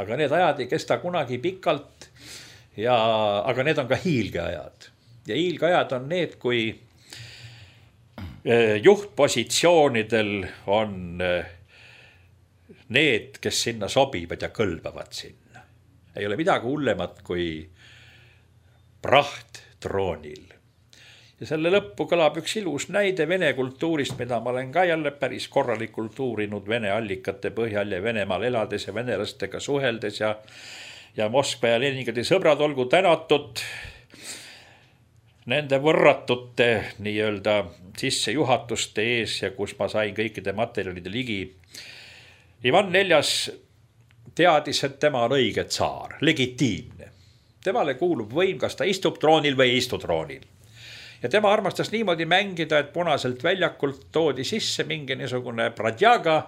Aga need ajad ei kesta kunagi pikalt, aga need on ka hiilgeajad. Ja hiilgeajad on need, kui juhtpositsioonidel on need, kes sinna sobivad ja kõlbavad sinna. Ei ole midagi hullemat kui praht troonil. Ja selle lõppu kõlab üks ilus näide vene kultuurist, mida ma olen ka jälle päris korralikult uurinud vene allikate põhjal ja Venemaal elades ja venelastega suheldes ja Moskva ja Leningradi sõbrad olgu tänatud nende võrratute nii-öelda sissejuhatuste ees ja kus ma sain kõikide materjalide ligi. Ivan IV teadis, et tema on õige tsaar, legitiimne. Temale kuulub võim, kas ta istub troonil või ei istu troonil. Ja tema armastas niimoodi mängida, et Punaselt väljakult toodi sisse mingi niisugune pradjaga,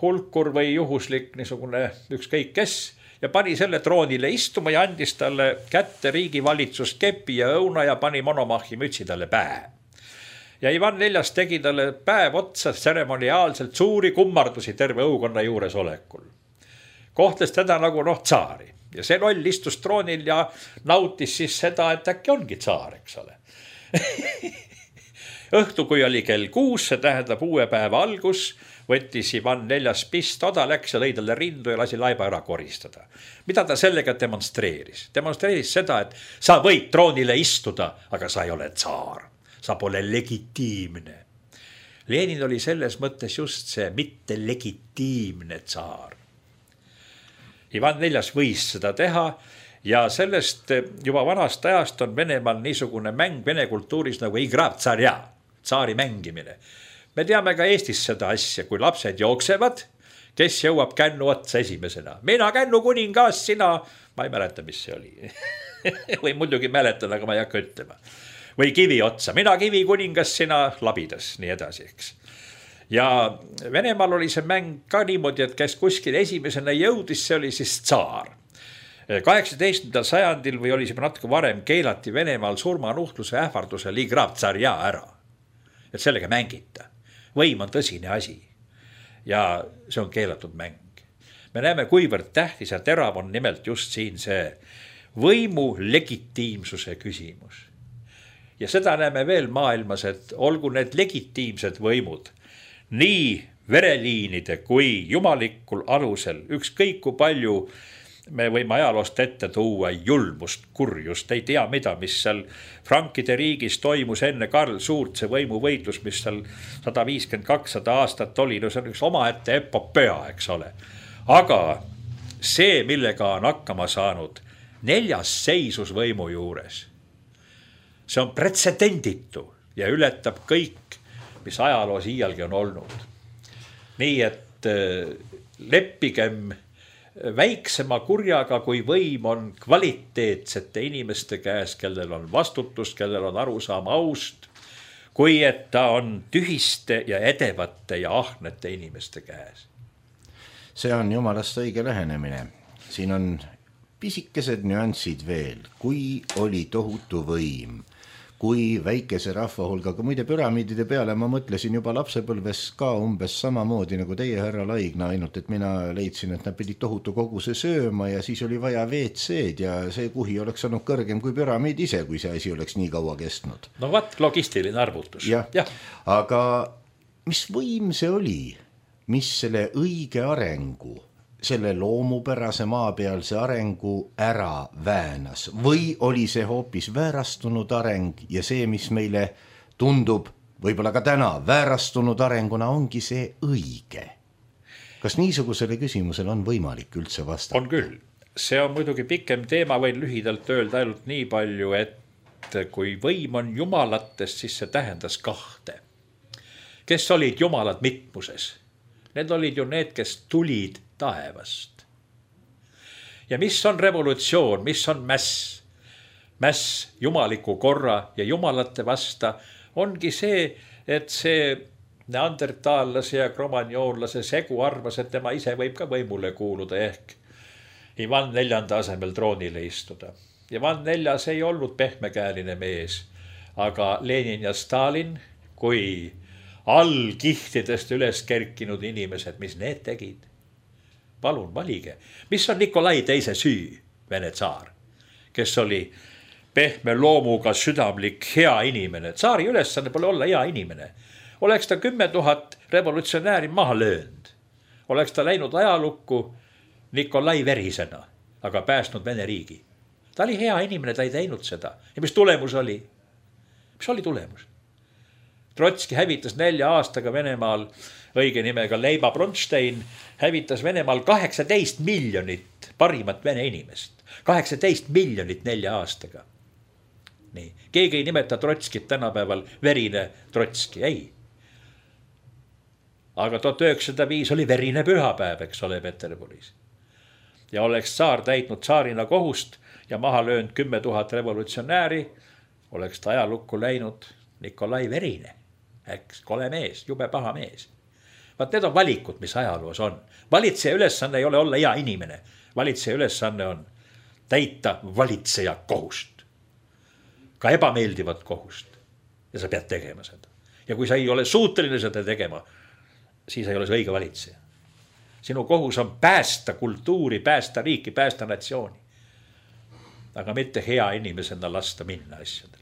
hulkur või juhuslik niisugune ükskõik kes ja pani selle troonile istuma ja andis talle kätte riigivalitsust kepi ja õuna ja pani monomahhi mütsi talle pähe. Ja Ivan IV tegi talle päev otsa tseremoniaalselt suuri kummardusi terve õukonna juures olekul. Kohtles teda nagu tsaari ja see loll istus troonil ja nautis siis seda, et äkki ongi tsaar, eks ole. Õhtu, kui oli kell 6, see tähendab uue päeva algus, võttis Ivan IV pistoda, läks ja lõi talle rindu ja lasi laiba ära koristada. Mida ta sellega demonstreeris? Demonstreeris seda, et sa võid troonile istuda, aga sa ei ole tsaar. Sa pole legitiimne. Lenin oli selles mõttes just see mitte legitiimne tsaar. Ivan IV võis seda teha ja sellest juba vanast ajast on Venemaal niisugune mäng vene kultuuris nagu igra tsarja, tsaari mängimine. Me teame ka Eestis seda asja, kui lapsed jooksevad, kes jõuab kännu otsa esimesena. Mina kännu kuningas, sina, ma ei mäleta, mis see oli. Või muidugi mäletan, aga ma ei hakka ütlema. Või kivi otsa, mina kivi kuningas, sina labidas, nii edasi, eks. Ja Venemaal oli see mäng ka niimoodi, et kes kuskil esimesena jõudis, see oli siis tsaar. 18. sajandil või oli see natuke varem keelati Venemaal surmanuhtluse ähvardusel igra tsarja ära. Et sellega mängita. Võim on tõsine asi ja see on keelatud mäng. Me näeme, kuivõrd tähtis ja terav on nimelt just siin see võimu legitiimsuse küsimus. Ja seda näeme veel maailmas, et olgu need legitiimsed võimud nii vereliinide kui jumalikul alusel, ükskõik kui palju me võime ajaloost ette tuua julmust, kurjust, ei tea mida, mis seal Frankide riigis toimus enne Karl Suurt, see võimuvõitlus, mis seal 150-200 aastat oli, no see on üks omaette epopöa, eks ole. Aga see, millega on hakkama saanud 4. seisus võimu juures, see on pretsedenditu ja ületab kõik, mis ajaloos iialgi on olnud. Nii et leppigem väiksema kurjaga, kui võim on kvaliteetsete inimeste käes, kellel on vastutus, kellel on arusaam aust, kui et ta on tühiste ja edevate ja ahnete inimeste käes. See on jumalast õige lähenemine. Siin on pisikesed nüansid veel, kui oli tohutu võim, kui väikese rahva hulgaga, muide püramiidide peale ma mõtlesin juba lapsepõlves ka umbes samamoodi nagu teie, härra Laigna, ainult et mina leidsin, et nad pidid tohutu koguse sööma ja siis oli vaja WC-d ja see kuhi oleks olnud kõrgem kui püramiid ise, kui see asi oleks nii kaua kestnud. No logistiline arvutus. Ja. Aga mis võim see oli, mis selle õige arengu, selle loomupärase maapealse arengu ära väänas või oli see hoopis väärastunud areng ja see, mis meile tundub võib-olla ka täna väärastunud arenguna, ongi see õige? Kas niisugusele küsimusele on võimalik üldse vastata? On küll. See on muidugi pikem teema, võin lühidalt öelda ainult nii palju, et kui võim on jumalatest, siis see tähendas kahte. Kes olid jumalad mitmuses? Need olid ju need, kes tulid taevast. Ja mis on revolutsioon, mis on mäss? Mäss jumaliku korra ja jumalate vasta ongi see, et see neandertaallase ja kromagnoonlase segu arvas, et tema ise võib ka võimule kuuluda ehk Ivan IV asemel troonile istuda. Ivan IV ei olnud pehmekäeline mees, aga Lenin ja Stalin, kui allkihtidest üles kerkinud inimesed, mis need tegid? Palun valige. Mis on Nikolai teise süü, Vene tsaar, kes oli pehme loomuga südamlik hea inimene. Tsaari ülesanne pole olla hea inimene. Oleks ta 10 000 revolutsionääri maha löönud. Oleks ta läinud ajalukku Nikolai verisena, aga päästnud Vene riigi. Ta oli hea inimene, ta ei teinud seda. Ja mis tulemus oli? Mis oli tulemus? Trotski hävitas 4 aastaga Venemaal, õige nimega Leiba Bronstein, hävitas Venemaal 18 miljonit parimat vene inimest. 18 miljonit 4 aastaga. Nii. Keegi ei nimeta Trotskit tänapäeval verine Trotski, ei. Aga 1905 oli verine pühapäev, eks ole, Peterburis. ja oleks tsaar täitnud tsaarina kohust ja maha löönud 10 000 revolutsionääri, oleks ta ajalukku läinud Nikolai Verine, eks, kole mees, jube paha mees. Vaat need on valikud, mis ajaloos on. Valitseja ülesanne ei ole olla hea inimene. Valitseja ülesanne on täita valitseja kohust. Ka ebameeldivat kohust. Ja sa pead tegema seda. Ja kui sa ei ole suuteline seda tegema, siis ei ole see õige valitseja. Sinu kohus on päästa kultuuri, päästa riiki, päästa natsiooni. Aga mitte hea inimesena lasta minna asjadel.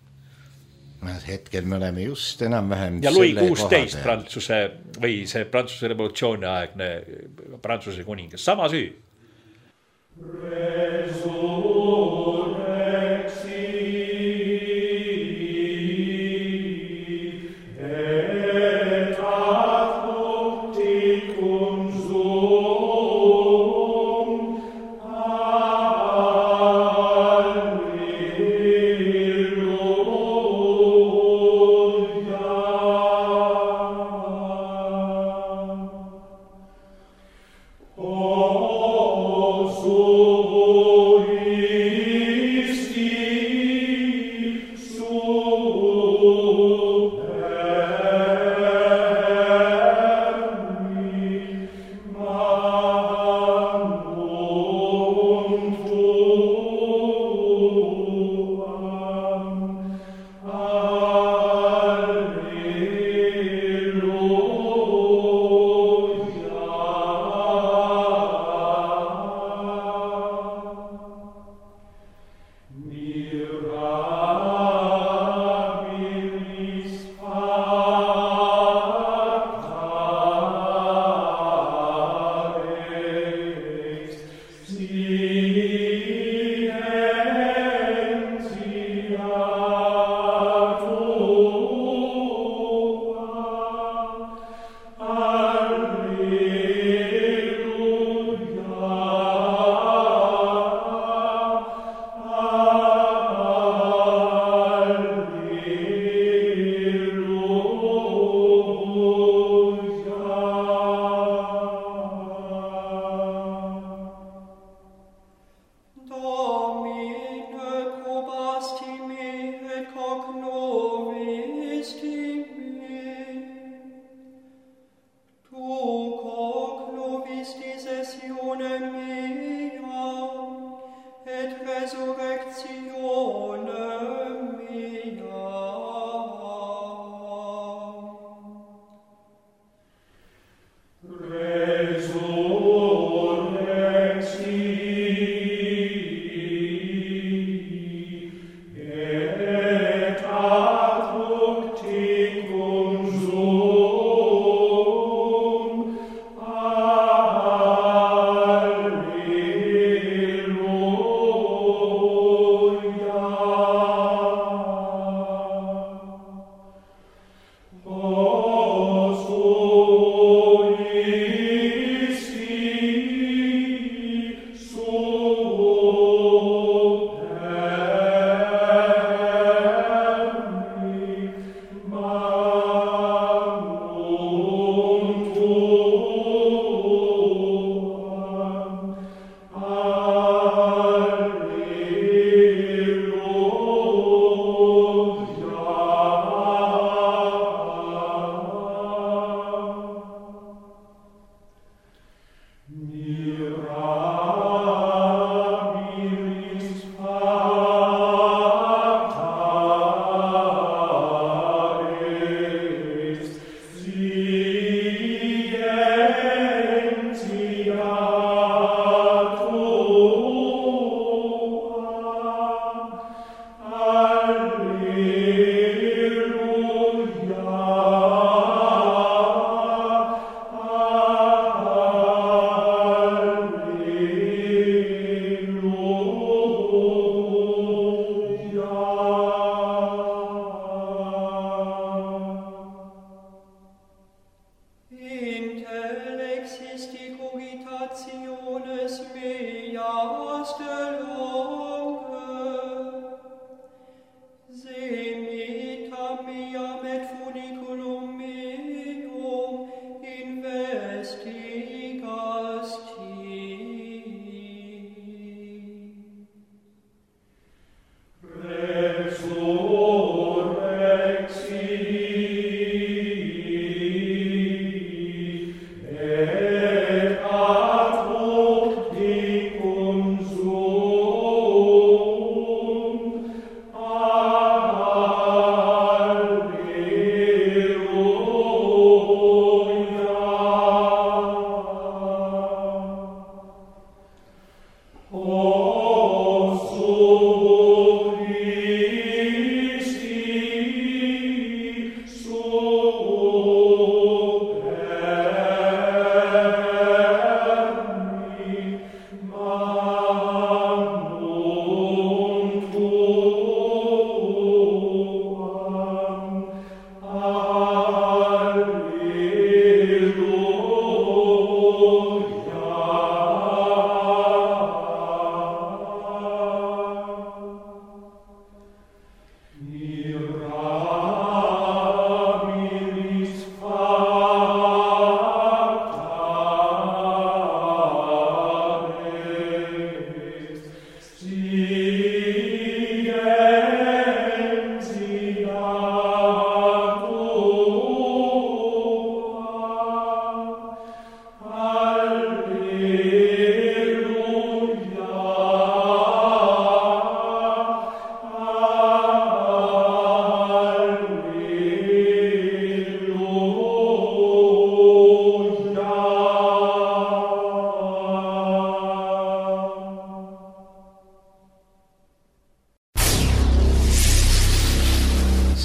Hetkel me oleme just enam-vähem ja Louis 16 Prantsuse või see Prantsuse revolutsiooni aegne Prantsuse kuningas, sama süü. Oh, so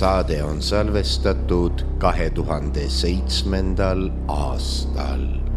saade on salvestatud 2007. aastal.